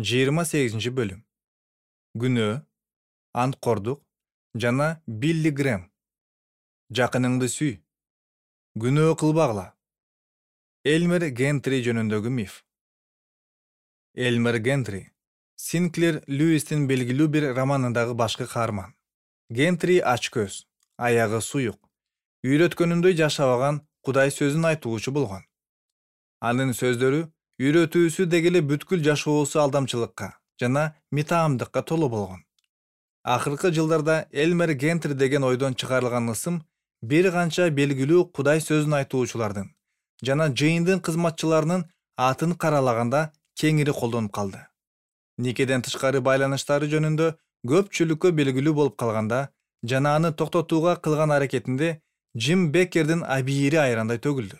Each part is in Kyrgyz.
28 бөлүм. Күнөө, анткордук жана Билли Грэм. Жакыныңды сүй. Күнөө кылбагыла. Элмер Гентри жөнүндөгү миф. Элмер Гентри Синклер Льюистин белгилүү бир романындагы башкы каарман. Гентри ач көз, аягы суюк, үйрөткөнүндөй жашабаган Кудай сөзүн айтуучу болгон. Анын сөздөрү үйрөтүүсү дегеле бүткүл жашоосу алдамчылыкка жана митаамдыкка толуу болгон. Акыркы жылдарда Элмер Гентри деген ойдон чыгарылган ысым бир канча белгилүү Кудай сөзүн айтуучулардын жана жыйындын кызматчыларынын атын каралаганда кеңири колдонуп калды. Никеден тышкары байланыштары жөнүндө көпчүлүккө белгилүү болуп калганда жана аны токтотууга кылган аракетинде Джим Беккердин абийири айрандай төгүлдү.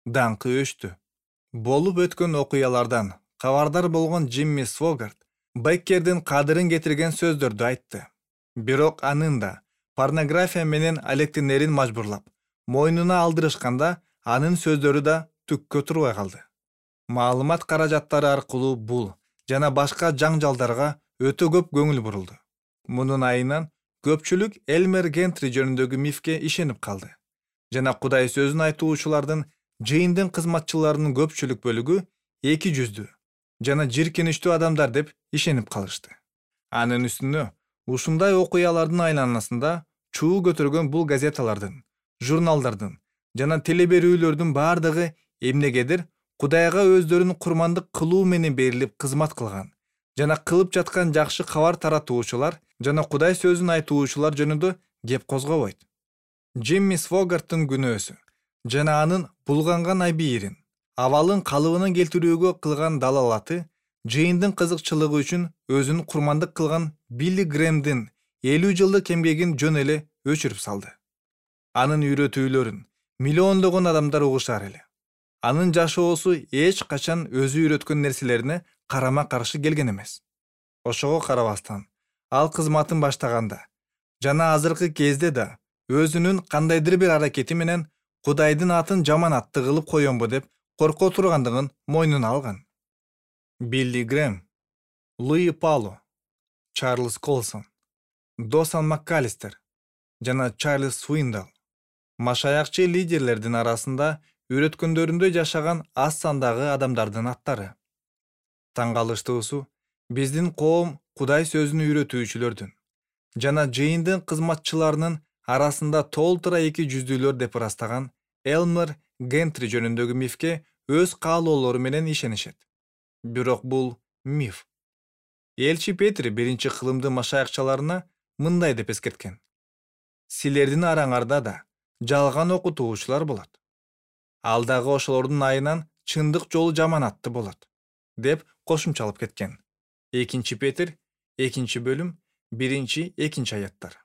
Даңкы өчтү. Болуп өткөн окуялардан кабардар болгон Джимми Свогарт Беккердин кадырын кетирген сөздөрдү айтты. Бирок анын да порнография менен алектенерин мажбурлап, мойнуна алдырышканда анын сөздөрү да түккө турбай калды. Маалымат каражаттары аркылуу бул жана башка жаңжалдарга өтө көп көңүл бурулду. Мунун айынан көпчүлүк Элмер Гентри жөнүндөгү мифке ишенип калды. Жана Кудай сөзүн айтуучулардын жыйындын кызматчыларынын көпчүлүк бөлүгү эки жүздүү жана жийиркеничтүү адамдар деп ишенип калышты. Анын үстүнө ушундай окуялардын айланасында чуу көтөргөн бул газеталардын, журналдардын жана телеберүүлөрдүн бардыгы эмнегедир Кудайга өздөрүн курмандык кылуу менен берилип кызмат кылган жана кылып жаткан жакшы кабар таратуучулар жана Кудай сөзүн айтуучулар жөнүндө кеп козгобойт. Джимми Свогарттын күнөөсү жана анын булганган абийирин, абалын калыбына келтирүүгө кылган далалаты жыйындын кызыкчылыгы үчүн өзүн курмандык кылган Билли Грэмдин 50 жылдык эмгегин жөн эле өчүрүп салды. Анын үйрөтүүлөрүн миллиондогон адамдар угушар эле. Анын жашоосу эч качан өзү үйрөткөн нерселерине карама-каршы келген эмес. Ошого карабастан, ал кызматын баштаганда жана азыркы кезде да өзүнүн кандайдыр бир аракети менен Кудайдын атын жаманатты кылып коёмбу деп корко тургандыгын мойнуна алган. Билли Грэм, Луи Пало, Чарльз Колсон, Досан МакКалистер жана Чарльз Суиндал машаякчы лидерлердин арасында үйрөткөндөрүндөй жашаган аз сандагы адамдардын аттары. Таң калыштуусу, биздин коом Кудай сөзүн үйрөтүүчүлөрдүн жана жыйындын кызматчыларынын арасында толтура эки жүздүүлөр деп ырастаган Элмер Гентри жөнүндөгү мифке өз каалоолору менен ишенишет. Бирок бул миф. Элчи Петр биринчи кылымды машаякчыларына мындай деп эскерткен: силердин араңарда да жалган окутуучулар болот. Ал дагы ошолордун айынан чындык жолу жаманатты болот, деп кошумчалап кеткен. 2 Петр 2 бөлүм 1-2 аяттар.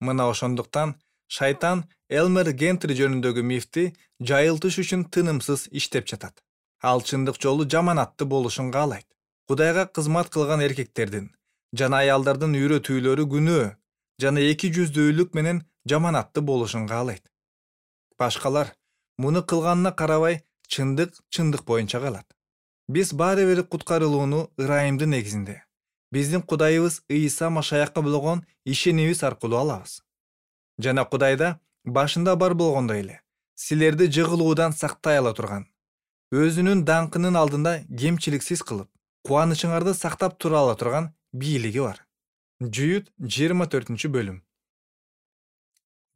Мына ошондуктан шайтан Элмер Гентри жөнүндөгү мифти жайылтыш үчүн тынымсыз иштеп жатат. Ал чындык жолу жаманатты болушун каалайт. Кудайга кызмат кылган эркектердин жана аялдардын үйрөтүүлөрү күнөө жана эки жүздүүлүк менен жаманатты болушун каалайт. Башкалар муну кылганына карабай чындык боюнча калат. Биз баары бир куткарылууну ырайымдын негизинде биздин Кудайыбыз Ыйса Машаякка болгон ишенимибиз аркылуу алабыз. Жана Кудайда башында бар болгондой эле силерди жыгылуудан сактай ала турган, өзүнүн даңкынын алдында кемчиликсиз кылып, кубанычыңарды сактап тура ала турган бийлиги бар. Жүйүт 24 бөлүм.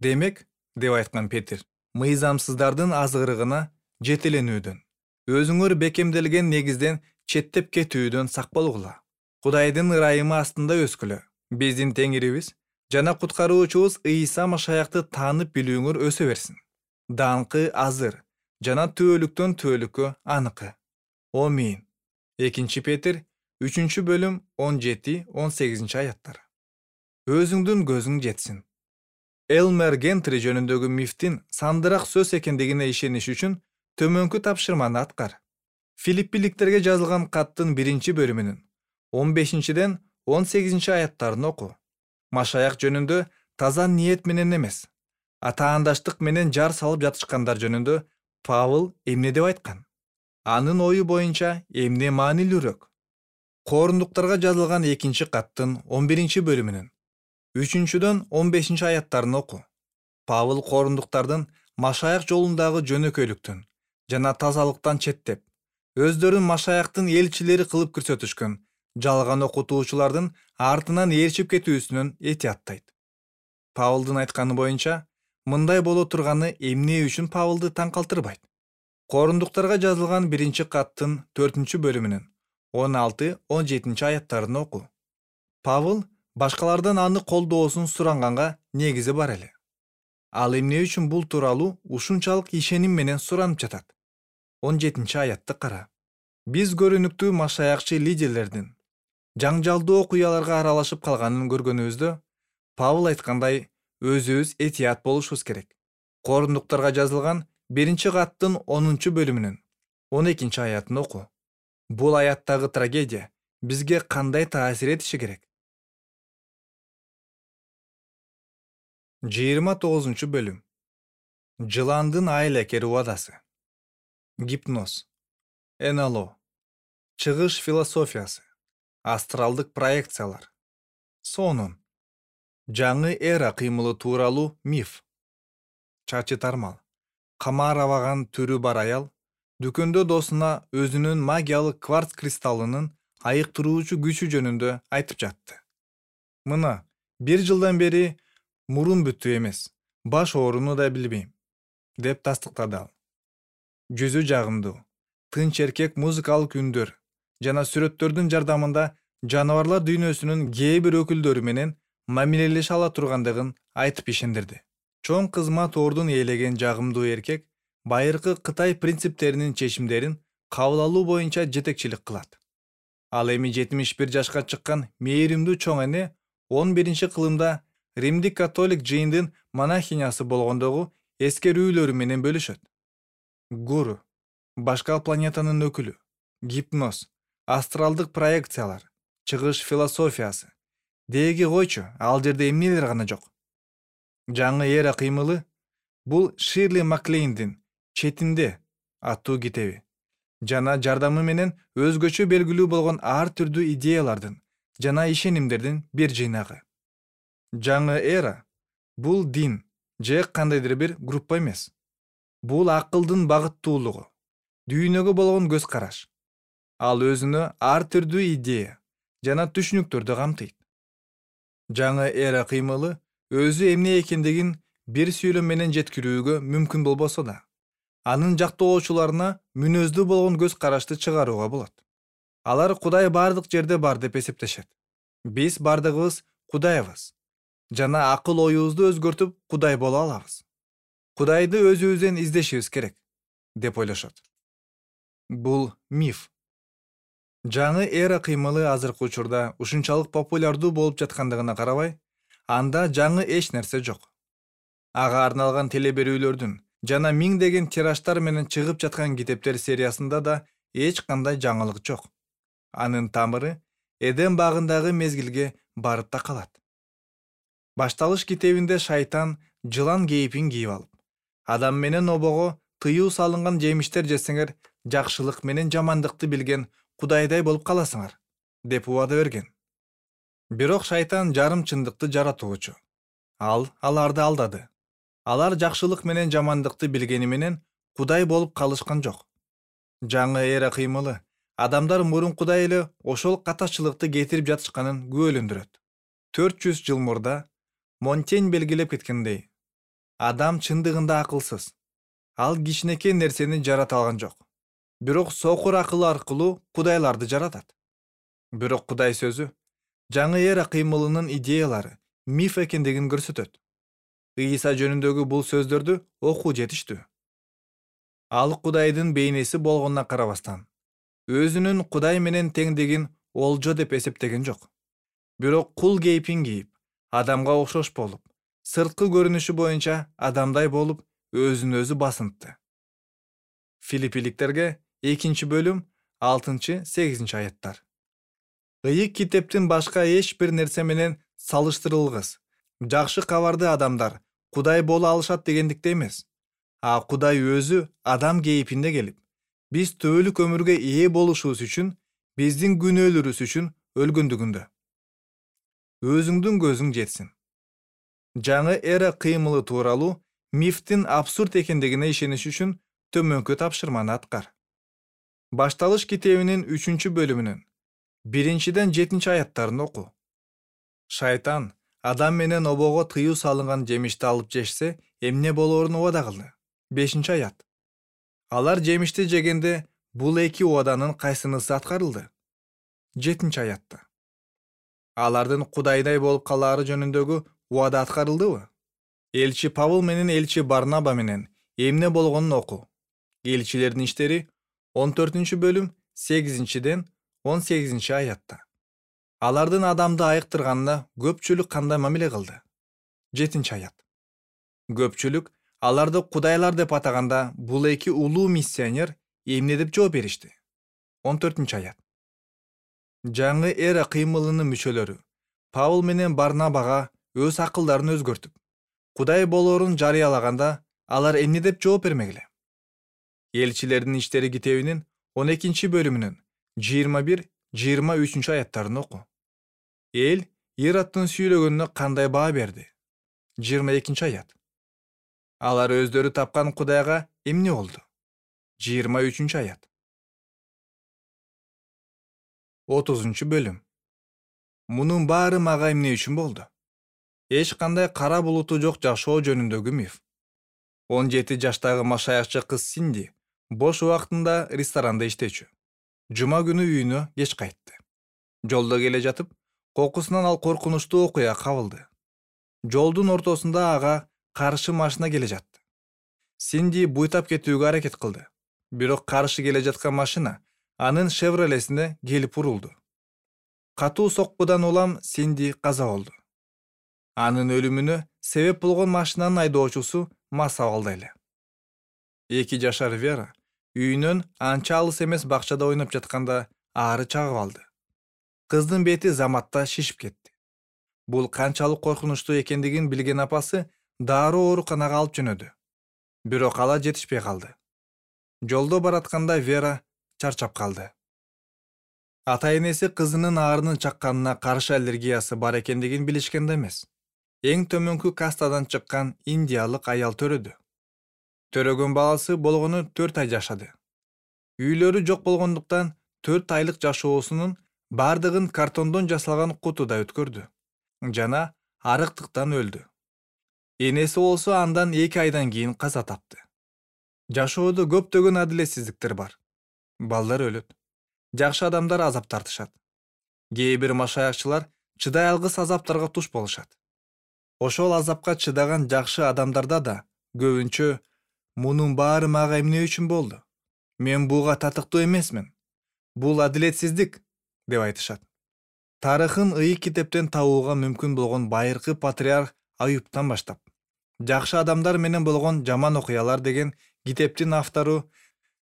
Демек, деп айткан Петр, мыйзамсыздардын азгырыгына жетеленүүдөн, өзүңөр бекемделген негизден четтеп кетүүдөн сак болгула. Кудайдын ырайымы астында өскүлө. Биздин Теңирибиз жана куткаруучубуз Ыйса Машаякты таанып билүүңөр өсө берсин. Даңкы азыр жана түбөлүктөн түбөлүккө аныкы. Амин. 2 Петр 3 бөлүм 17-18 аяттар. Өзүңдүн көзүң жетсин. Элмер Гентри жөнүндөгү мифтин сандыраак сөз экендигине ишениш үчүн төмөнкү тапшырманы аткар. Филиппиликтерге жазылган каттын 1 бөлүмүнүн 15-18 аяттарын оку. Машаяк жөнүндө таза ниет менен эмес, атаандаштык менен жар салып жатышкандар жөнүндө Павыл эмне деп айткан? Анын ою боюнча эмне маанилүүрөөк? Коорундуктарга жазылган 2-каттын 11-бөлүмүнүн 3-дөн 15 аяттарын оку. Павыл коорундуктардын Машаяк жолундагы жөнөкөйлүктөн жана тазалыктан четтеп, өздөрүн Машаяктын элчилери кылып көрсөтүшкөн жалган окутуучулардын артынан ээрчип кетүүсүнөн этияттайт. Павылдын айтканы боюнча, мындай боло турганы эмне үчүн Павылды таң калтырбайт? Коорундуктарга жазылган 1-каттын 4-бөлүмүнүн 16-17 аяттарын оку. Павыл башкалардан аны колдоосун суранганга негизи бар эле. Ал эмне үчүн бул тууралуу ушунчалык ишеним менен суранып жатат? 17-аятты кара. Биз көрүнүктүү машаякчы лидерлердин жаңжалдуу окуяларга аралашып калганын көргөнүбүздө, Павыл айткандай, өзүбүз этият болушубуз керек. Коорундуктарга жазылган 1-каттын 10-бөлүмүнүн 12-аятын оку. Бул аяттагы трагедия бизге кандай таасир этиши керек? 29-бөлүм. Жыландын айлакер убадасы. Гипноз, НЛО, чыгыш философиясы, астралдык проекциялар, сонун, жаңы эра кыймылы тууралуу миф, чачы тармал, камар абаган түрү бар аял дүкөндө досуна өзүнүн магиялык кварц кристаллынын айыктыруучу күчү жөнүндө айтып жатты. Мына, 1 жылдан бери мурун бүттү эмес, баш ооруну да билбейм, деп тастыктады ал. Жүзү жагымдуу, тынч эркек музыкалык үндөр жана сүрөттөрдүн жардамында жаныбарлар дүйнөсүнүн кээ бир өкүлдөрү менен мамилелеше ала тургандыгын айтып ишендирди. Чоң кызмат ордун ээлеген жагымдуу эркек байыркы Кытай принциптеринин чечимдерин кабыл алуу боюнча жетекчилик кылат. Ал эми 71 жашка чыккан мээримдүү чоң эне 11-кылымда Римдик католик жыйындын монахинясы болгондогу эскерүүлөрү менен бөлүшөт. Гуру, башка планетанын өкүлү, гипноз, астралдык проекциялар, чыгыш философиясы. Деги койчу, ал жерде эмнелер гана жок. Жаңы эра кыймылы бул Ширли Маклейндин «Четинде» аттуу китеби жана жардамы менен өзгөчө белгилүү болгон ар түрдүү идеялардын жана ишенимдердин бир жыйнагы. Жаңы эра бул дин же кандайдыр бир группа эмес. Бул акылдын багыттуулугу, дүйнөгө болгон көз караш. Ал өзүнө ар түрдүү идея жана түшүнүктөрдү камтыйт. Жаңы эра кыймылы өзү эмне экендигин бир сүйлөм менен жеткирүүгө мүмкүн болбосо да, анын жактоочуларына мүнөздүү болгон көз карашты чыгарууга болот. Алар Кудай бардык жерде бар деп эсептешет. Биз бардыгыбыз Кудайбыз жана акыл оюбузду өзгөртүп Кудай боло алабыз. Кудайды өзүбүздөн издешибиз керек, деп ойлошот. Бул миф. Жаңы эра кыймылы азыркы учурда ушунчалык популярдуу болуп жаткандыгына карабай, анда жаңы эч нерсе жок. Ага арналган телеберүүлөрдүн жана миңдеген тираштар менен чыгып жаткан китептер сериясында да эч кандай жаңылык жок. Анын тамыры Эдем багындагы мезгилге барып такалат. Башталыш китебинде шайтан жылан кейпин кийип алып, адам менен обого тыюу салынган жемиштер жесеңер, жакшылык менен жамандыкты билген Кудайдай болуп каласыңар, деп убада берген. Бирок шайтан жарым чындыкты жаратуучу. Ал аларды алдады. Алар жакшылык менен жамандыкты билгени менен Кудай болуп калышкан жок. Жаңы эра кыймылы адамдар мурункудай эле ошол катачылыкты кетирип жатышканын күбөлөндүрөт. 400 жыл мурда Монтень белгилеп кеткендей, адам чындыгында акылсыз. Ал кичинекей нерсени жарата алган жок. Бирок сокур акылы аркылуу кудайларды жаратат. Бирок Кудай сөзү жаңы эра кыймылынын идеялары миф экендигин көрсөтөт. Ийса жөнүндөгү бул сөздөрдү окуу жетиштүү. Ал Кудайдын бейнеси болгонуна карабастан, өзүнүн Кудай менен теңдигин олжо деп эсептеген жок. Бирок кул кейпин кийип, адамга окшош болуп, сырткы көрүнүшү боюнча адамдай болуп, өзүн өзү басынтты. Филиппиликтерге 2-бөлүм 6-8 аяттар. Ыйык китептин башка эч бир нерсе менен салыштырылгыс. Жакшы кабарды адамдар Кудай боло алышат дегендикте эмес. А Кудай өзү адам кейпинде келип, биз түбөлүк өмүргө ээ болушубуз үчүн биздин күнөөлөрүбүз үчүн өлгөндүгүндө. Өзүңдүн көзүң жетсин. Жаңы эра кыймылы тууралуу мифтин абсурд экендигине ишениш үчүн төмөнкү тапшырманы аткар. Башталыш китебинин 3-бөлүмүнүн 1-7 аяттарын оку. Шайтан Адам менен обого тыюу салынган жемишти алып жешсе, эмне болоорун убада кылды. 5-аят. Алар жемишти жегенде бул эки убаданын кайсынысы аткарылды? 7-аятта. Алардын Кудайдай болуп калаары жөнүндөгү убада аткарылдыбы? Элчи Павыл менен элчи Барнаба менен эмне болгонун оку. Элчилердин иштери 14-бөлүм 8-18 аятта. Алардын адамды айыктырганына көпчүлүк кандай мамиле кылды? 7-аят. Көпчүлүк аларды кудайлар деп атаганда бул эки улуу миссионер эмне деп жооп беришти? 14-аят. Жаңы эра кыймылынын мүчөлөрү Павыл менен Барнабага өз акылдарын өзгөртүп, Кудай болоорун жарыялаганда алар эмне деп жооп бермегиле? Элчилердин иштери китебинин 12-бөлүмүнүн 21-23 аяттарын оку. Эл Ироддун сүйлөгөнүнө кандай баа берди? 22-аят. Алар өздөрү тапкан Кудайга эмне болду? 23-аят. 30-бөлүм. Мунун баары мага эмне үчүн болду? Эч кандай кара булуту жок жашоо жөнүндөгү миф. 17 жаштагы машаякчы кыз Синди бош убактында ресторанда иштечү. Жума күнү үйүнө кеч кайтты. Жолдо келе жатып, кокусунан ал коркунучтуу окуя кабылды. Жолдун ортосунда ага каршы машина келе жатты. Синди буйтап кетүүгө аракет кылды. Бирок каршы келе жаткан машина анын Шевролесине келип урулду. Катуу соккудан улам Синди каза болду. Анын өлүмүнө себеп болгон машинанын айдоочусу мас абалда эле. 2 жашар Вера үйүнөн анча алыс эмес бакчада ойноп жатканда аары чагып алды. Кыздын бети заматта шишип кетти. Бул канчалык коркунучтуу экендигин билген апасы дароо ооруканага алып жөнөдү. Бирок ала жетишпей калды. Жолдо баратканда Вера чарчап калды. Ата-энеси кызынын аарынын чакканына каршы аллергиясы бар экендигин билишкен да эмес. Эң төмөнкү кастадан чыккан индиялык аял төрөдү. Төрөгөн баласы болгону 4 ай жашады. Үйлөрү жок болгондуктан 4 айлык жашоосунун бардыгын картондон жасалган кутуда өткөрдү. Жана арыктыктан өлдү. Энеси болсо андан 2 айдан кийин каза тапты. Жашоодо көптөгөн адилетсиздиктер бар. Балдар өлөт. Жакшы адамдар азап тартышат. Кээ бир машаякчылар чыдай алгыс азаптарга туш болушат. Ошол азапка чыдаган жакшы адамдарда да көбүнчө мунун баары мага эмне үчүн болду? Мен буга татыктуу эмесмин. Бул адилетсиздик деп айтышат. Тарыхын ыйык китептен табууга мүмкүн болгон байыркы патриарх Аюптан баштап, жакшы адамдар менен болгон жаман окуялар деген китептин автору,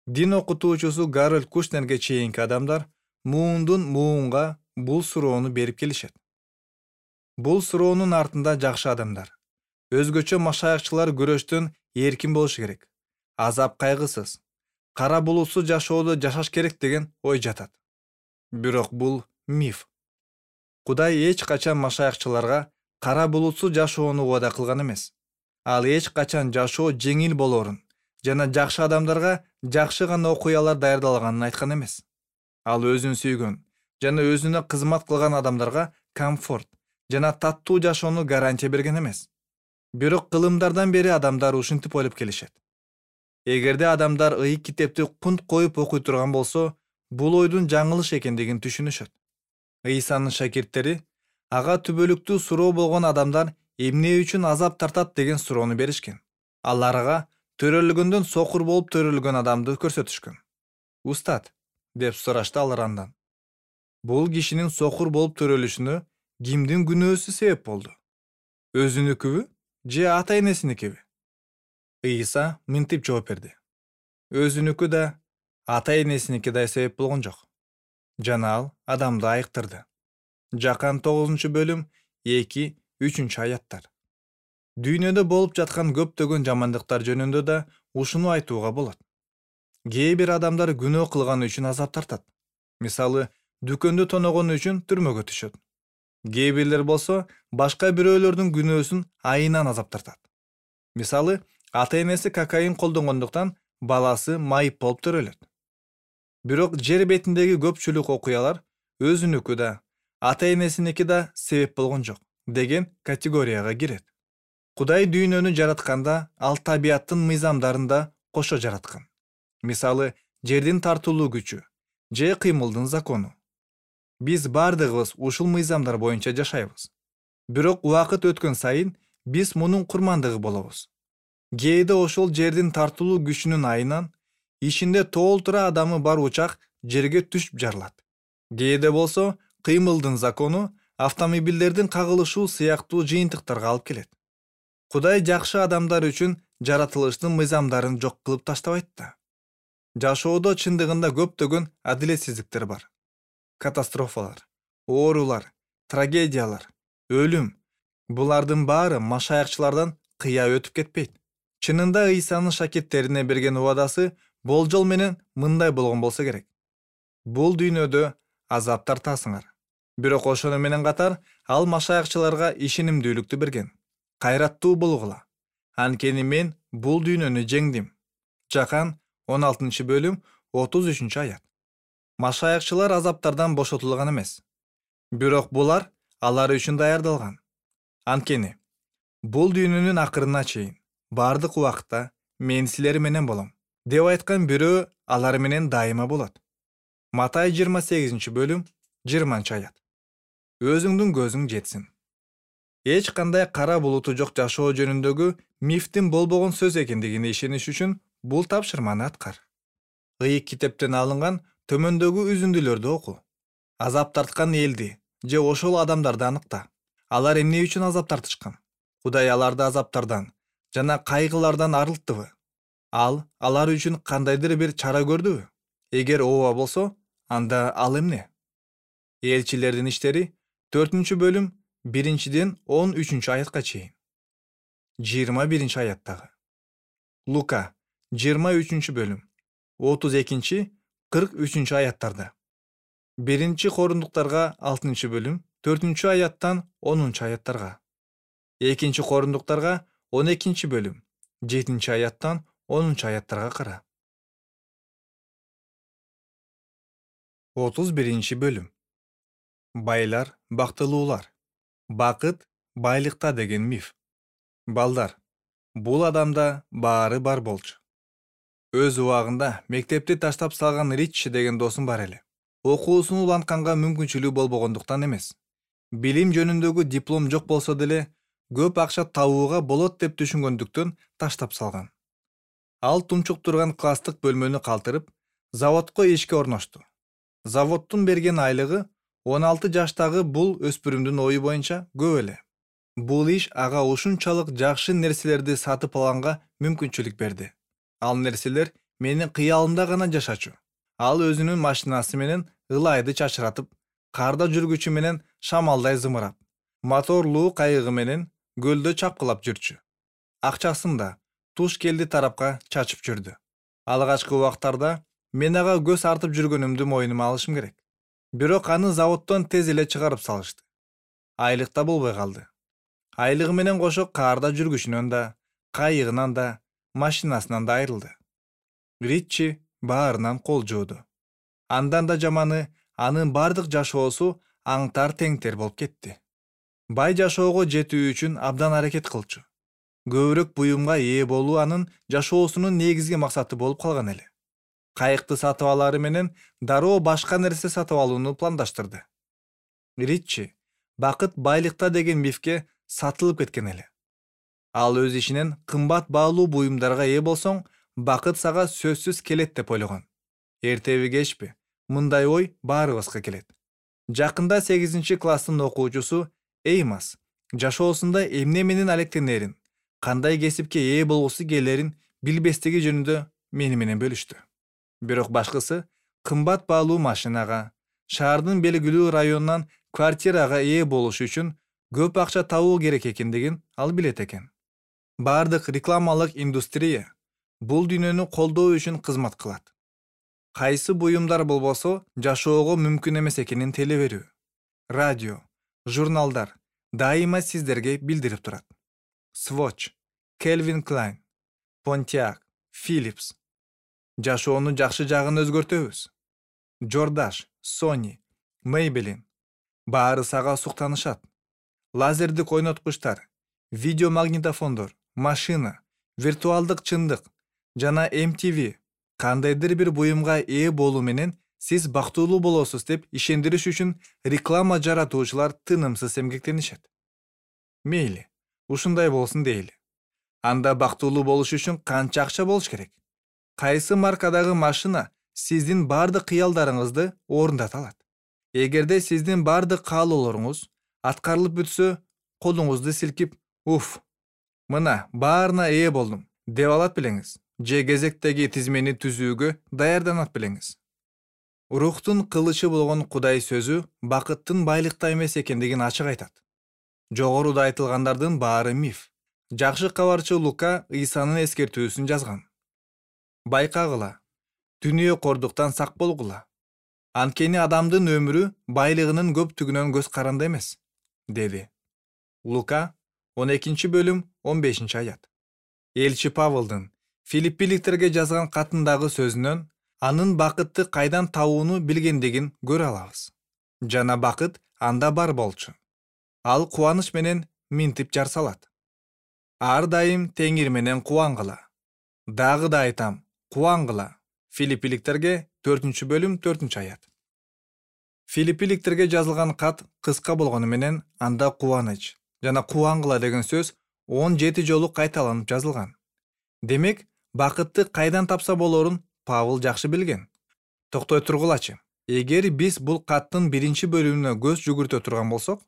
дин окутуучусу Гарольд Кушнерге чейинки адамдар муундун муунга бул суроону берип келишет. Бул суроонун артында жакшы адамдар, өзгөчө машаякчылар күрөштөн эркин болушу керек, азап кайгысыз, кара булутсуз жашоодо жашаш керек деген ой жатат. Бирок бул миф. Кудай эч качан машаякчыларга кара булутсуз жашоону убада кылган эмес. Ал эч качан жашоо жеңил болоорун жана жакшы адамдарга жакшы гана окуялар даярдалаганын айткан эмес. Ал өзүн сүйгөн жана өзүнө кызмат кылган адамдарга комфорт жана таттуу жашоону гарантия берген эмес. Бирок кылымдардан бери адамдар ушинтип ойлоп келишет. Эгерде адамдар ыйык китепти кунт коюп окуй турган болсо, бул ойдун жаңылыш экендигин түшүнүшөт. Ыйсанын шакирттери ага түбөлүктүү суроо болгон адамдар эмне үчүн азап тартат деген суроону беришкен. Аларга төрөлгөндөн сокур болуп төрөлгөн адамды көрсөтүшкөн. Устат, деп сурашты алар андан. Бул кишинин сокур болуп төрөлүшүнө кимдин күнөөсү себеп болду? Өзүнүкүбү же ата-энесиникиби? Ыйса мынтип жооп берди. Өзүнүкү да, ата-энесиники да себеп болгон жок. Жана ал адамды айыктырды. Жакан 9-бөлүм 2-3 аяттар. Дүйнөдө болуп жаткан көптөгөн жамандыктар жөнүндө да ушуну айтууга болот. Кээ бир адамдар күнөө кылганы үчүн азап тартат. Мисалы, дүкөндү тоногону үчүн түрмөгө түшөт. Кээ бирлер болсо башка бирөөлөрдүн күнөөсүн айынан азап тартат. Мисалы, ата-энеси кокаин колдонгондуктан баласы майып болуп төрөлөт. Бирок жер бетиндеги көпчүлүк окуялар өзүнүкү да, ата-энесиники да себеп болгон жок деген категорияга кирет. Кудай дүйнөнү жаратканда ал табияттын мыйзамдарын да кошо жараткан. Мисалы, жердин тартылуу күчү же кыймылдын закону. Биз бардыгыбыз ушул мыйзамдар боюнча жашайбыз. Бирок убакыт өткөн сайын биз мунун курмандыгы болобуз. Кээде ошол жердин тартылуу күчүнүн айынан ишинде толтура адамы бар учак жерге түшүп жарылат. Кээде болсо кыймылдын закону автомобилдердин кагылышуу сыяктуу жыйынтыктарга алып келет. Кудай жакшы адамдар үчүн жаратылыштын мыйзамдарын жок кылып таштабайт да. Жашоодо чындыгында көптөгөн адилетсиздиктер бар. Катастрофалар, оорулар, трагедиялар, өлүм. Булардын баары машаякчылардан кыя өтүп кетпейт. Чынында Ыйсанын шакирттерине берген убадасы болжол менен мындай болгон болсо керек. Бул дүйнөдө азап тартасыңар. Бирок ошону менен катар ал машаякчыларга ишенимдүүлүктү берген. Кайраттуу болгула. Анткени мен бул дүйнөнү жеңдим. Жакан 16-бөлүм 33-аят. Машаякчылар азаптардан бошотулган эмес. Бирок булар алар үчүн даярдалган. Анткени бул дүйнөнүн акырына чейин бардык убакытта мен силер менен болом деп айткан бирөө алар менен дайыма болот. Матай 28-бөлүм 20-аят. Өзүңдүн көзүң жетсин. Эч кандай кара булуту жок жашоо жөнүндөгү мифтин болбогон сөз экендигине ишениш үчүн бул тапшырманы аткар. Ыйык китептен алынган төмөндөгү үзүндүлөрдү оку. Азап тарткан элди же ошол адамдарды аныкта. Алар эмне үчүн азап тартышкан? Кудай аларды азаптардан жана кайгылардан арылттыбы? Алар үчүн кандайдыр бир чара көрдүбү? Эгер ооба болсо, анда ал эмне? Элчилердин иштери 4-бөлүм 1-ден 13-аятка чейин. 21-аяттагы. Лука 23-бөлүм 32-43-аяттарда. 1-Корундуктарга 6-бөлүм 4-аяттан 10-аяттарга. 2-Корундуктарга 12-бөлүм 7-аяттан 10-аяттарга кара. 31-бөлүм. Байлар, бактылуулар. Бакыт байлыкта деген миф. Балдар, бул адамда баары бар болчу. Өз убагында мектепти таштап салган Ричи деген досум бар эле. Окуусун улантканга мүмкүнчүлүгү болбогондуктан эмес. Билим жөнүндөгү диплом жок болсо деле көп акча табууга болот деп түшүнгөндүктөн таштап салган. Ал тумчук турган класстык бөлмөнү калтырып, заводко ишке орношту. Заводдун берген айлыгы 16 жаштагы бул өспүрүмдүн ою боюнча көп эле. Бул иш ага ушунчалык жакшы нерселерди сатып алганга мүмкүнчүлүк берди. Ал нерселер менин кыялымда гана жашачу. Ал өзүнүн машинасы менен ылайды чачыратып, карда жүргүчү менен шамалдай зымырап, моторлуу кайыгы менен көлдө чапкылап жүрчү. Акчасын да туш келди тарапка чачып жүрдү. Алгачкы убактарда мен ага көз артып жүргөнүмдү мойнума алышым керек. Бирок аны заводдон тез эле чыгарып салышты. Айлык да болбой калды. Айлыгы менен кошо каарда жүргүчүнөн да, кайыгынан да, машинасынан да айрылды. Ричи баарынан кол жууду. Андан да жаманы, анын бардык жашоосу аңтар теңтер болуп кетти. Бай жашоого жетүү үчүн абдан аракет кылчу. Көбүрөөк буюмга ээ болуу анын жашоосунун негизги максаты болуп калган эле. Кайыкты сатып алары менен дароо башка нерсе сатып алууну пландаштырды. Ричи бакыт байлыкта деген мифке сатылып кеткен эле. Ал өз ишинен кымбат баалуу буюмдарга ээ болсоң, бакыт сага сөзсүз келет деп ойлогон. Эртеби кечпи, мындай ой баарыбызга келет. Жакында 8-класстын окуучусу Эймас жашоосунда эмне менен алектенерин, кандай кесипке ээ болгусу келерин билбестиги жөнүндө мени менен бөлүштү. Бирок башкысы кымбат баалуу машинага, шаардын белгилүү районунан квартирага ээ болуш үчүн көп акча табуу керек экендигин ал билет экен. Бардык рекламалык индустрия бул дүйнөнү колдоо үчүн кызмат кылат. Кайсы буюмдар болбосо жашоого мүмкүн эмес экенин теле берүү. Радио, журналдар дайыма сиздерге билдирип турат. Swatch, Calvin Klein, Pontiac, Philips. Жашоону жакшы жагын өзгөртөбүз. Jordache, Sony, Maybelline. Баары сага суктанышат. Лазердик ойноткучтар, видеомагнитофондор, машина, виртуалдык чындык жана MTV кандайдыр бир буюмга ээ болуу менен сиз бактылуу болосуз деп ишендириш үчүн реклама жаратуучулар тынымсыз эмгектенишет. Мейли, ушундай болсун дейли. Анда бактылуу болуш үчүн канча акча болуш керек? Кайсы маркадагы машина сиздин бардык кыялдарыңызды орундата алат? Эгерде сиздин бардык каалоолоруңуз аткарылып бүтсө, колуңузду силкип, уф, мына баарына ээ болдум деп алат белеңиз. Же кезектеги тизмени түзүүгө даярданат белеңиз. Рухтун кылычы болгон Кудай сөзү бакыттын байлыкта эмес экендигин ачык айтат. Жогоруда айтылгандардын баары миф. Жакшы кабарчы Лука Ыйсанын эскертүүсүн жазган. Байкагыла, дүнүйө кордуктан сак болгула. Анткени адамдын өмүрү байлыгынын көптүгүнөн көз каранды эмес, деди. Лука 12-бөлүм 15-аят. Элчи Павылдын Филиппиликтерге жазган катындагы сөзүнөн анын бакытты кайдан табууну билгендигин көрө алабыз. Жана бакыт анда бар болчу. Ал кубаныч менен минтип жар салат. Ар дайым Теңир менен кубангыла. Дагы да айтам, кубангыла. Филиппиликтерге 4-бөлүм 4-аят. Филиппиликтерге жазылган кат кыска болгону менен анда кубаныч жана кубангыла деген сөз 17 жолу кайталанып жазылган. Демек, бакытты кайдан тапса болорун Павыл жакшы билген. Токтой тургулачы. Эгер биз бул каттын 1-бөлүмүнө көз жүгүртө турган болсок,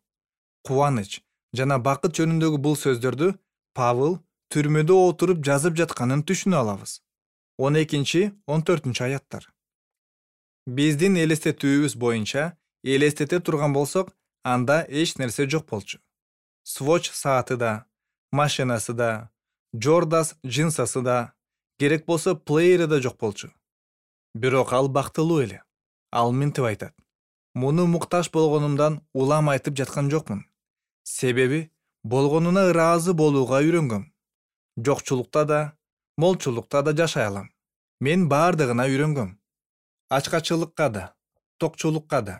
кубаныч жана бакыт жөнүндөгү бул сөздөрдү Павыл түрмөдө отуруп жазып жатканын түшүнө алабыз. 12-14-аяттар. Биздин элестетүүбүз боюнча элестете турган болсок, анда эч нерсе жок болчу. Swatch сааты да, машинасы да, Jordache джинсасы да, керек болсо плеери да жок болчу. Бирок ал бактылуу эле. Ал минтип айтат. Муну муктаж болгонумдан улам айтып жаткан жокмун. Себеби болгонуна ыраазы болууга үйрөнгөм. Жокчулукта да, молчулукта да жашай алам. Мен бардыгына үйрөнгөм. Ачкачылыкка да, токчулукка да,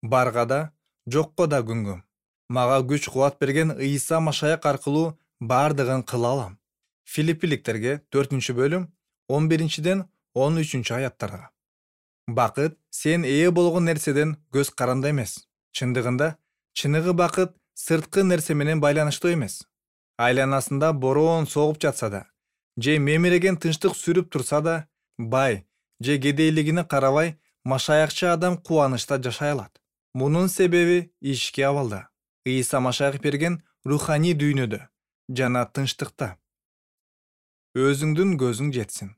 барга да, жокко да күнгөм. Мага күч кубат берген Ыйса Машаяк аркылуу бардыгын кыла алам. Филиппиликтерге 4-бөлүм 11-ден 13-аяттарга. Бакыт сен ээ болгон нерседен көз каранды эмес. Чындыгында, чыныгы бакыт сырткы нерсе менен байланыштуу эмес. Айланасында бороон согуп жатса да, же мемиреген тынчтык сүрүп турса да, бай же кедейлигине карабай, машаякчы адам кубанычта жашай алат. Мунун себеби ички абалда. Ыйса Машаяк берген руханий дүйнөдө жана тынчтыкта. Өзүңдүн көзүң жетсин.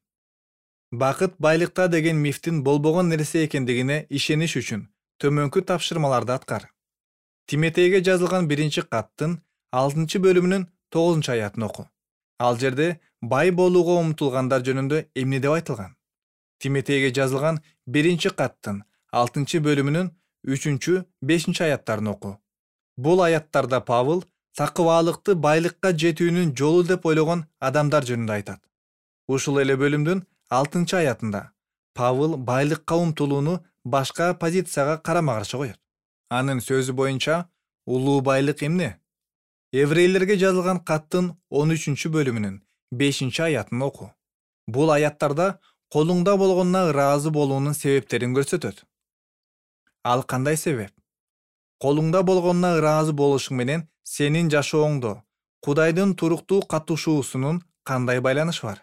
Бакыт байлыкта деген мифтин болбогон нерсе экендигине ишениш үчүн төмөнкү тапшырмаларды аткар. Тиметейге жазылган 1-каттын 6-бөлүмүнүн 9-аятын оку. Ал жерде бай болууга умтулгандар жөнүндө эмне деп айтылган? Тиметейге жазылган 1-каттын 6-бөлүмүнүн 3-5-аяттарын оку. Бул аяттарда Павыл такыбаалыкты байлыкка жетүүнүн жолу деп ойлогон адамдар жөнүндө айтат. Ушул эле бөлүмдүн 6-аятында Павыл байлыкка умтулууну башка позицияга карама-каршы коет. Анын сөзү боюнча, улуу байлык эмне? Еврейлерге жазылган каттын 13-бөлүмүнүн 5-аятын оку. Бул аяттарда колуңда болгонуна ыраазы болуунун себептерин көрсөтөт. Ал кандай себеп? Колуңда болгонуна ыраазы болушуң менен сенин жашооңдо Кудайдын туруктуу катышуусунун кандай байланышы бар?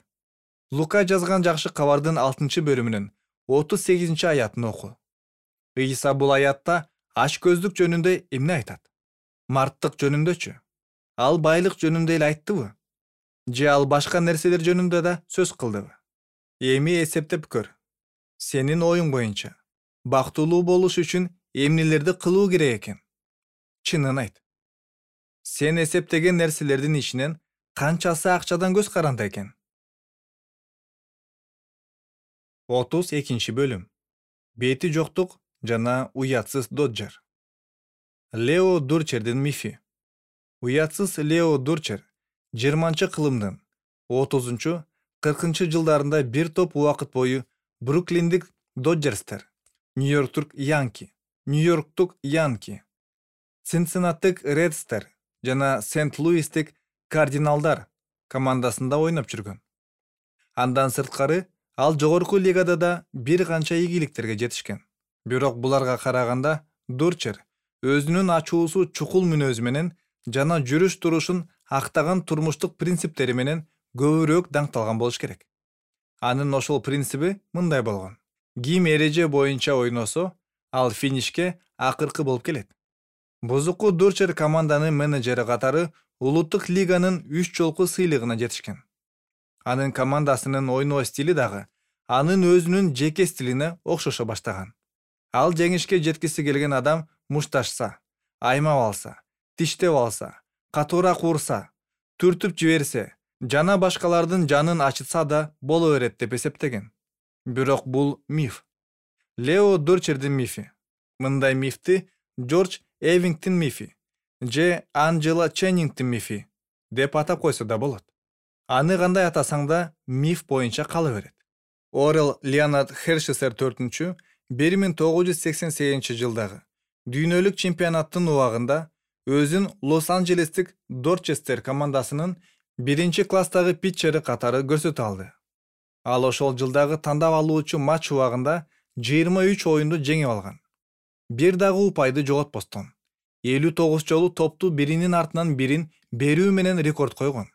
Лука жазган жакшы кабардын 6-бөлүмүнүн 38-аятын оку. Ыйса бул аятта ач көздүк жөнүндө эмне айтат? Марттык жөнүндөчү? Ал байлык жөнүндө эле айттыбы? Же ал башка нерселер жөнүндө да сөз кылдыбы? Эми эсептеп көр. Сенин оюң боюнча бактылуу болуш үчүн эмнелерди кылуу керек экен? Чынын айт. Сен эсептеген нерселердин ичинен канчасы акчадан көз каранды экен? 32 бөлүм. Бети жоктук жана уятсыз Доджер. Лео Дурчердин мифи. Уятсыз Лео Дурчер 20-кылымдын 30-40 жылдарында бир топ убакыт бою Бруклиндик Доджерстер, Нью-Йорктук Янки, Цинциннатик Редстер жана Сент-Луистик Кардиналдар командасында ойноп жүргөн. Андан сырткары ал жогорку лигада да бир канча ийгиликтерге жетишкен. Бирок буларга караганда Дурчер өзүнүн ачуусу чукул мүнөзү менен жана жүрүш турушун актаган турмуштук принциптери менен көбүрөөк даңкталган болуш керек. Анын ошол принциби мындай болгон: ким эреже боюнча ойносо, ал финишке акыркы болуп келет. Бузуку Дурчер команданын менеджери катары улуттук лиганын 3 жолку сыйлыгына жетишкен. Анын командасынын ойноо стили дагы анын өзүнүн жеке стилине окшошо баштаган. Ал жеңишке жеткиси келген адам мушташса, аймап алса, тиштеп алса, катуураак урса, түртүп жиберсе жана башкалардын жанын ачытса да боло берет деп эсептеген. Бирок бул миф. Лео Дурчердин мифи. Мындай мифти Джордж Эвингтин мифи же Анджела Ченнингтин мифи деп атап койсо да болот. Аны кандай атасаң да миф боюнча кала берет. Орел Леонард Хершесер 4 1988 жылдагы дүйнөлүк чемпионаттын убагында өзүн Лос-Анджелестик Дорчестер командасынын 1-класстагы питчери катары көрсөтө алды. Ал ошол жылдагы тандап алуучу матч убагында 23 оюнду жеңип алган. Бир дагы упайды жоготпостон 59 жолу топту биринин артынан бирин берүү менен рекорд койгон.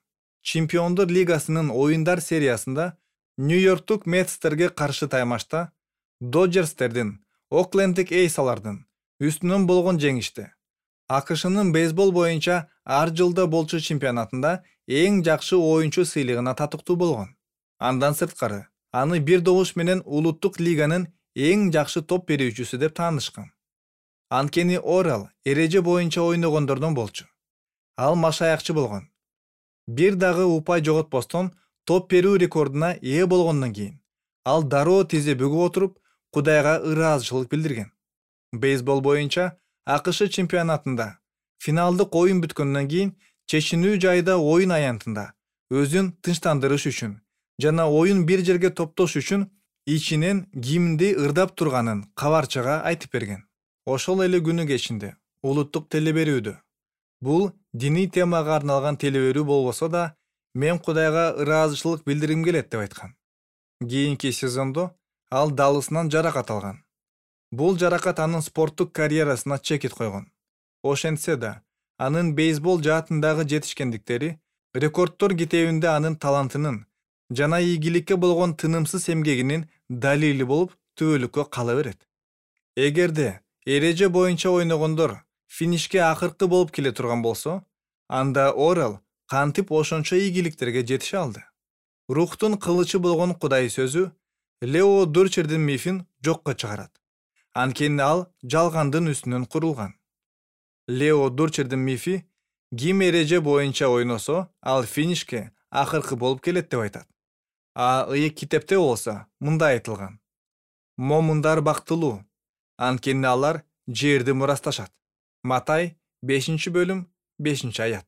Чемпиондор лигасынын оюндар сериясында Нью-Йорктук Мetsтерге каршы таймашта Доджерстердин Оклендик Эйсалардын үстүнөн болгон жеңиште АКШнын бейсбол боюнча ар жылда болчу чемпионатында эң жакшы оюнчу сыйлыгына татыктуу болгон. Андан сырткары аны бир добуш менен улуттук лиганын эң жакшы топ берүүчүсү деп таанышкан. Анткени Орел эреже боюнча ойногондордон болчу. Ал машаякчы болгон. Бир дагы упай жоготпостон топ берүү рекордуна ээ болгондон кийин ал дароо тизи бүгүп отуруп Кудайга ыраазычылык билдирген. Бейсбол боюнча АКШ чемпионатында финалдык оюн бүткөндөн кийин чечинүү жайда оюн аянтында өзүн тынчтандырыш үчүн жана оюн бир жерге топтош үчүн ичинен кимди ырдап турганын кабарчыга айтып берген. Ошол эле күнү кечинде улуттук телеберүүдө бул диний темага арналган телеберүү болбосо да мен Кудайга ыраазычылык билдиргим келет деп айткан. Кийинки сезондо ал далысынан жаракат алган. Бул жаракат анын спорттук карьерасына чекит койгон. Ошентсе да, анын бейсбол жаатындагы жетишкендиктери рекордтор китебинде анын талантынын жана ийгиликке болгон тынымсыз эмгегинин далили болуп түбөлүккө кала берет. Эгерде эреже боюнча ойногондор финишке акыркы болуп келе турган болсо, анда Орел кантип ошончо ийгиликтерге жетише алды? Рухтун кылычы болгон Кудай сөзү Лео Дурчердин мифин жокко чыгарат. Анткени ал жалгандын үстүнөн курулган. Лео Дурчердин мифи ким эреже боюнча ойносо, ал финишке акыркы болуп келет деп айтат. А ыйык китепте болсо мындай айтылган: момундар бактылуу, анткени алар жерди мурасташат. Матай 5 5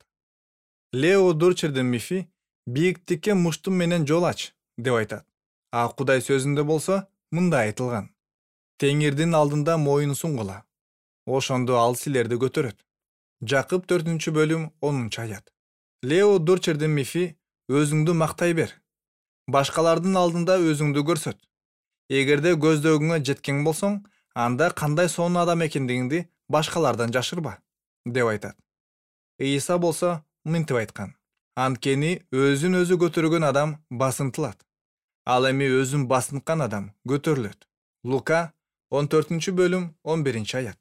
Лео Дурчердин мифи бийиктикке муштум менен жол ач деп айтат. А Кудай сөзүндө болсо мындай айтылган: Теңирдин алдында моюн сунгула, ошондо ал силерди көтөрөт. Жакып 4 Лео Дурчердин мифи өзүңдү мактай бер. Башкалардын алдында өзүңдү көрсөт. Эгерде көздөгүңө жеткен болсоң, анда кандай сонун адам экендигиңди башкалардан жашырба деп айтат. Ийса болсо мынтип айткан: анткени өзүн өзү көтөргөн адам басынтылат. Ал эми өзүн басынткан адам көтөрүлөт. Лука 14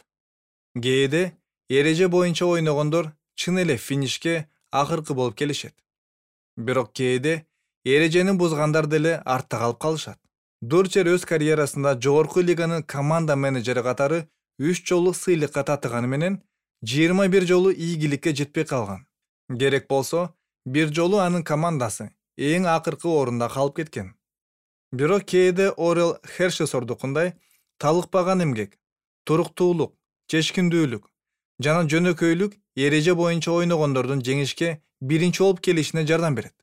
Кээде эреже боюнча ойногондор чын эле финишке акыркы болуп келишет. Бирок кээде эрежени бузгандар деле артта калып калышат. Дурчер өз карьерасында жогорку лиганын команда менеджери катары 3 жолу сыйлыкка татыганы менен 21 жолу ийгиликке жетпей калган. Керек болсо, бир жолу анын командасы эң акыркы орунда калып кеткен. Бирок кээде Орел Херши сордукундай талыкпаган эмгек, туруктуулук, чечкиндүүлүк жана жөнөкөйлүк эреже боюнча ойногондордун жеңишке биринчи болуп келишине жардам берет.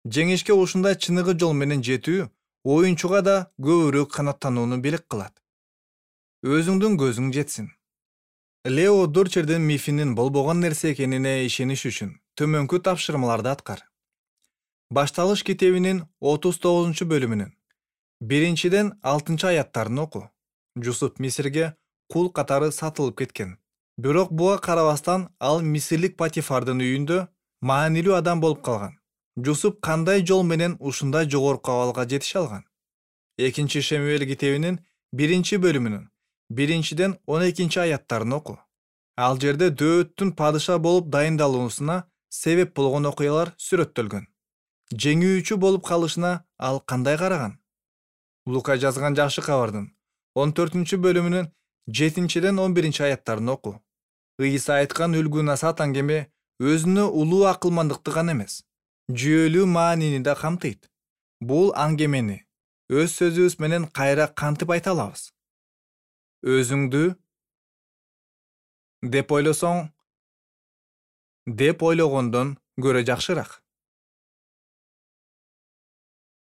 Жеңишке ушундай чыныгы жол менен жетүү оюнчуга да көбүрөөк канааттанууну белек кылат. Өзүңдүн көзүң жетсин. Лео Дурчердин мифинин болбогон нерсе экенине ишениш үчүн төмөнкү тапшырмаларды аткар. Башталыш китебинин 39-бөлүмүнүн 1-6 аяттарын оку. Жусуп Мисирге кул катары сатылып кеткен. Бирок буга карабастан ал мисирлик Патифардын үйүндө маанилүү адам болуп калган. Жусуп кандай жол менен ушундай жогорку абалга жетише алган? 2 Шемуэль китебинин 1-бөлүмүнүн 1-12 аяттарын оку. Ал жерде Дөөттүн падыша болуп дайындалуусуна себеп болгон окуялар сүрөттөлгөн. Жеңүүчү болуп калышына ал кандай караган? Лука жазган жакшы кабардын 14-бөлүмүнүн 7-11 аяттарын оку. Ыйса айткан үлгү сатан кеме өзүнө улуу акылмандыкты гана эмес, жүйөлүү маанини да камтыйт. Бул аңгемени өз сөзүбүз менен кайра кантип айта алабыз? Өзүңдү деп ойлогондон көрө жакшыраак.